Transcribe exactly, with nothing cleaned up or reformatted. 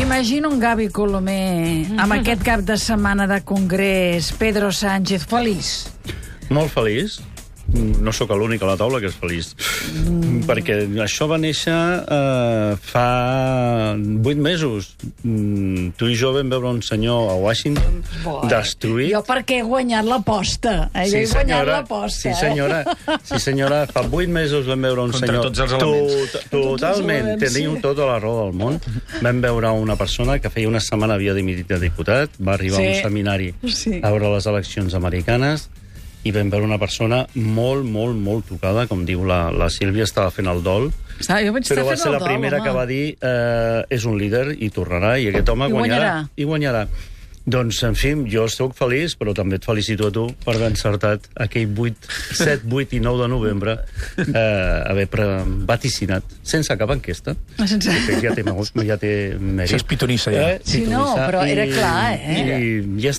Imagino un Gavi Colomer amb aquest cap de setmana de congrés, Pedro Sánchez, feliç. Molt feliç. No sóc l'únic a la taula que és feliç. Mm. Perquè això va néixer eh, fa vuit mesos. Mm, tu i jo vam veure un senyor a Washington Boy. destruït. Jo perquè he guanyat l'aposta. Eh? Sí, jo he guanyat senyora, l'aposta. Sí, senyora. Eh? Sí, senyora. Fa vuit mesos vam veure un Contra senyor... tots els elements. Tot, totalment. elements, Teniu sí. tota la raó del món. Vam veure una persona que feia una setmana havia dimitit de diputat, va arribar Sí. a un seminari Sí. a veure les eleccions americanes, i vam veure una persona molt, molt, molt tocada, com diu la, la Sílvia, estava fent el dol, Ah, jo vaig però estar va fent ser el la dol, primera home. que va dir eh, és un líder i tornarà, i aquest home I guanyarà. guanyarà. I guanyarà. Doncs, en fi, jo estic feliç, però també et felicito a tu per haver encertat aquell vuit, set, vuit i nou de novembre, eh, haver pre- vaticinat, sense cap enquesta. Sense... Que ja té, ja té mèrit. Això és pitonissa, ja. Eh? Sí, no, Pitonissa. però era I- clar, eh? I ja està.